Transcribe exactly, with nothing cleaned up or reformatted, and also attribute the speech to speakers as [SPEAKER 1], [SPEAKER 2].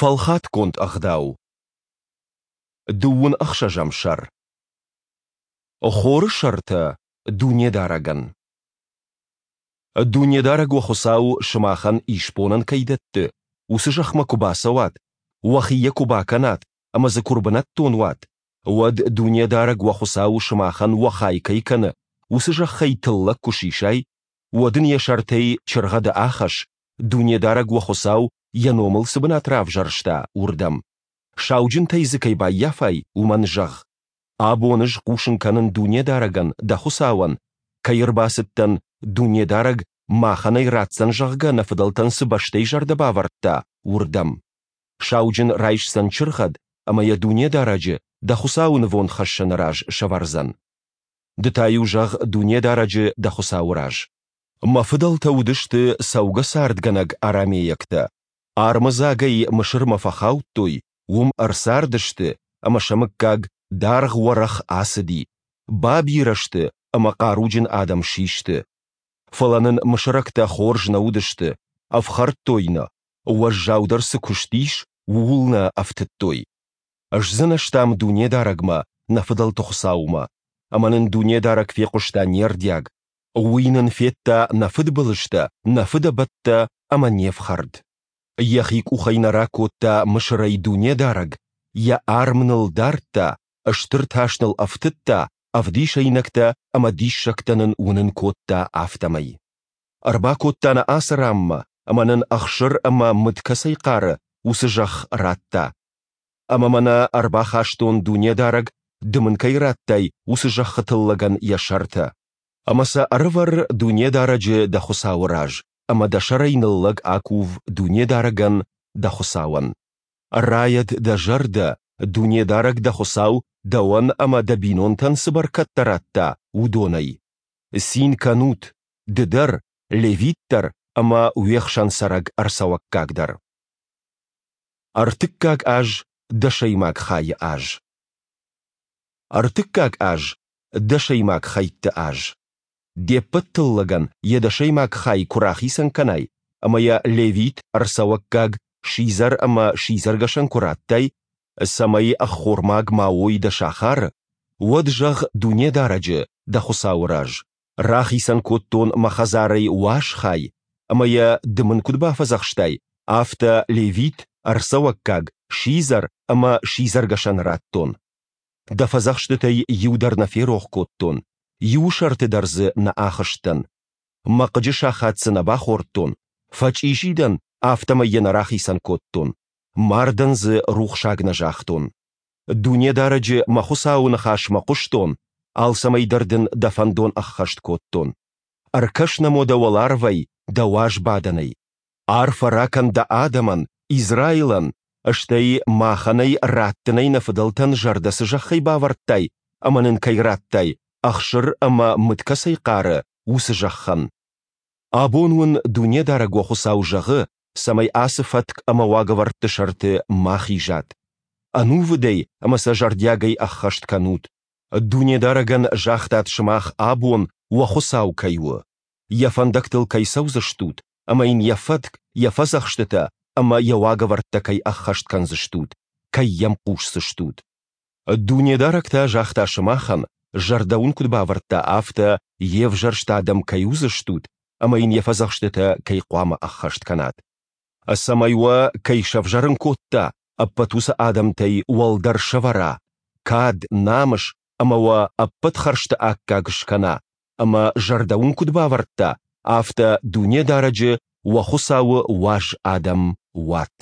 [SPEAKER 1] Фӕлхатгонд ӕгъдау. Дыууын ӕхсӕзӕм сӕр. Хоры сӕртӕ Дунедарӕгӕн. Дунедарӕг уӕ Хуыцау сымахӕн исбонӕн кӕй дӕтты, уыцы зӕхмӕ куы бацӕуат, уӕхи йӕ куы бакӕнат ӕмӕ дзы куы ӕрбынӕттон уат, уӕд Дунедарӕг уӕ Хуыцау сымахӕн уӕ хай кӕй кӕны, уыцы зӕххӕй тыллӕг куы сисай, уӕд ын йӕ сӕртӕй чыргъӕды ахӕсс, Дунедарӕг уӕ Хуыцау йӕ номыл цы бынат равзӕрста, уырдӕм. Сауджынтӕй дзы кӕй баййафай, уымӕн зӕгъ: Абон ӕз хъусын кӕнын Дунедарӕгӕн, дӕ Хуыцауӕн, кӕй ӕрбацыдтӕн, Дунедарӕг махӕн ӕй ратдзӕн, зӕгъгӕ, нӕ фыдӕлтӕн цы бӕстӕй зӕрдӕ бавӕрдта, уырдӕм. Сауджын райсдзӕн чыргъӕд ӕмӕ йӕ Дунедарӕджы, дӕ Хуыцауы нывондхӕссӕны раз сӕвӕрдзӕн. Ды та-иу зӕгъ Дунедарӕджы, дӕ Хуыцауы раз: Мӕ фыдӕлтӕ уыдысты цӕугӕцардгӕнӕг арамейӕгтӕ. Армыдзагӕй Мысырмӕ фӕхаудтой, уым ӕрцардысты, ӕмӕ сӕ мыггаг даргъ-уӕрӕх ацыди, бабирӕ сты ӕмӕ хъаруджын адӕм систы. Фӕлӕ нын мысырӕгтӕ хорз нӕ уыдысты, ӕфхӕрдтой нӕ, уӕззаудӕр цы куыст ис, ууыл нӕ ӕфтыдтой. Сдзынӕзтам Дунедарӕгмӕ, нӕ фыдӕлты Хуыцаумӕ, ӕмӕ нын Дунедарӕг фехъуыста не рдиаг. Уый нын федта нӕ фыдбылызтӕ, нӕ фыдӕбӕттӕ ӕмӕ не фхӕрд. Йӕхи къухӕй нӕ ракодта Мысырӕй Дунедарӕг, Йӕ арм ныл дардта, стыр тас ныл ӕфтыдта, ӕвдисӕйнӕгтӕ ӕмӕ диссӕгтӕ нын уынын кодта, афтӕмӕй. Ӕрбакодта нӕ ацы ранмӕ ӕмӕ нын ӕхсыр ӕмӕ мыд кӕцӕй хъары, уыцы зӕхх радта. Ӕмӕ мӕнӕ ӕрбахастон, Дунедарӕг, ды мын кӕй радтай, уыцы зӕххы тыллӕгӕн йӕ сӕртӕ. Ӕмӕ сӕ ӕрӕвӕр Дунедарӕджы, дӕ Хуыцауы раз, ӕмӕ дӕ сӕрӕй ныллӕг акув Дунедарӕгӕн, дӕ Хуыцауӕн. Райӕд дӕ зӕрдӕ, Дунедарӕг дӕ Хуыцау дӕуӕн ӕмӕ дӕ бинонтӕн цы бӕркӕдтӕ радта, уыдонӕй. Цин кӕнут, ды дӕр, левит дӕр ӕмӕ уе хсӕн цӕрӕг ӕрцӕуӕггаг дӕр. Ӕртыккаг аз, дӕсӕймаг хайы аз. Ӕртыккаг аз, дӕсӕймаг хӕйтты аз. Де ппӕт тыллӕгӕн йӕ дӕсӕймаг хай куы рахицӕн кӕнай ӕмӕ йӕ левит, ӕрцӕуӕггаг, сидзӕр ӕмӕ сидзӕргӕсӕн куы раттай, цӕмӕй ӕххормаг ма уой дӕ сахары, уӕд зӕгъ Дунедарӕджы, дӕ Хуыцауы раз: Рахицӕн кодтон мӕ хӕдзарӕй уаз хай, ӕмӕ йӕ ды мын куыд бафӕдзӕхстай, афтӕ левит, ӕрцӕуӕггаг, сидзӕр ӕмӕ сидзӕргӕсӕн радтон. Дӕ фӕдзӕхстытӕй иу дӕр нӕ ферох кодтон, иуы сӕрты дӕр дзы нӕ ахызтӕн. Мӕ хъыджы сахат дзы нӕ бахордтон, фӕчъизи дӕн, афтӕмӕй йӕ нӕ рахицӕн кодтон, мардӕн дзы рухсаг нӕ загътон. Дунедарӕджы мӕ Хуыцауы ныхасмӕ хъуыстон, алцӕмӕй дӕр дын дӕ фӕндон ӕххӕст кодтон. Ӕркӕс нӕм уӕдӕ уӕларвӕй, дӕ уаз бадӕнӕй. Арфӕ ракӕн дӕ адӕмӕн, Израилӕн, стӕй махӕн ӕй раттынӕй нӕ фыдӕлтӕн зӕрдӕ цы зӕххӕй бавӕрдтай ӕмӕ нын кӕй радтай, ӕхсыр ӕмӕ мыд кӕцӕй хъары, уыцы зӕххӕн. Абон уын Дунедарӕг уӕ Хуыцау зӕгъы, цӕмӕй ацы фӕтк ӕмӕ уагӕвӕрдты сӕрты ма хизат. Ӕнувыдӕй ӕмӕ сӕ зӕрдиагӕй ӕххӕст кӕнут. Дунедарӕгӕн загътат сымах абон уӕ Хуыцау кӕй у, Йӕ фӕндӕгтыл кӕй цӕудзыстут ӕмӕ Йын Йӕ фӕтк, Йӕ фӕдзӕхстытӕ ӕмӕ Йӕ уагӕвӕрдтӕ кӕй ӕххӕст кӕндзыстут, кӕй Йӕм хъусдзыстут. Дунедарӕг та загъта сымахӕн, зӕрдӕ уын куыд бавӕрдта, афтӕ Йе взӕрст адӕм кӕй уыдзыстут ӕмӕ Йын Йӕ фӕдзӕхстытӕ кӕй хъуамӕ ӕххӕст кӕнат. Цӕмӕй уӕ кӕй сӕвзӕрын кодта, ӕппӕт уыцы адӕмтӕй уӕлдӕр сӕвӕра, кад, намыс ӕмӕ уӕ ӕппӕт хӕрзты аккаг скӕна, ӕмӕ зӕрдӕ уын куыд бавӕрдта, афтӕ Дунедарӕджы, уӕ Хуыцауы, уаз адӕм уат.